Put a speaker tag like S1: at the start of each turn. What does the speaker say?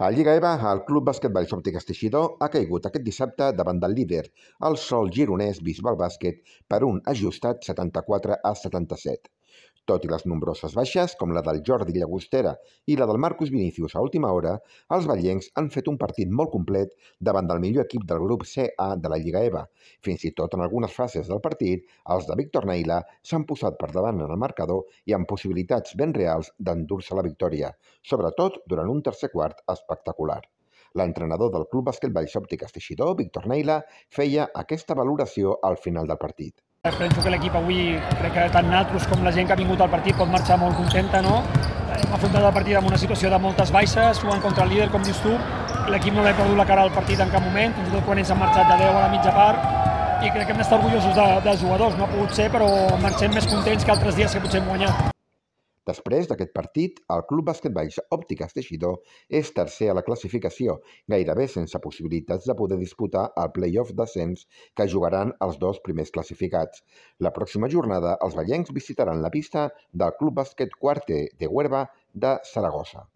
S1: A Lliga EVA, el Club Bàsquet Vallsòptic Teixidor ha caigut aquest dissabte davant del líder, el Sol gironès Bisbal Bàsquet, per un ajustat 74-77. Tot i les nombroses baixes, com la del Jordi Llagostera i la del Marcus Vinícius a última hora, els ballencs han fet un partit molt complet davant del millor equip del grup CA de la Lliga EVA. Fins i tot en algunes fases del partit, els de Víctor Neila s'han posat per davant en el marcador i amb possibilitats ben reals d'endur-se la victòria, sobretot durant un tercer quart espectacular. L'entrenador del Club Bàsquet Vallsòptic Teixidor, Víctor Neila, feia aquesta valoració al final del partit.
S2: Penso que l'equip avui, crec que tant nosaltres com la gent que ha vingut al partit pot marxar molt contenta, no? Hem afrontat el partit amb una situació de moltes baixes, jugant contra el líder, com dius tu. L'equip no l'ha perdut la cara al partit en cap moment, fins i tot quan ells han marxat de 10 a la mitja part, i crec que hem d'estar orgullosos dels jugadors. No ha pogut ser, però marxem més contents que altres dies que potser hem guanyat.
S1: Després d'aquest partit, el Club Bàsquet Vallsòptic Teixidor és tercer a la classificació, gairebé sense possibilitats de poder disputar el play-off d'ascens que jugaran els dos primers classificats. La pròxima jornada, els ballencs visitaran la pista del Club Bàsquet Quarte de Huerva de Saragossa.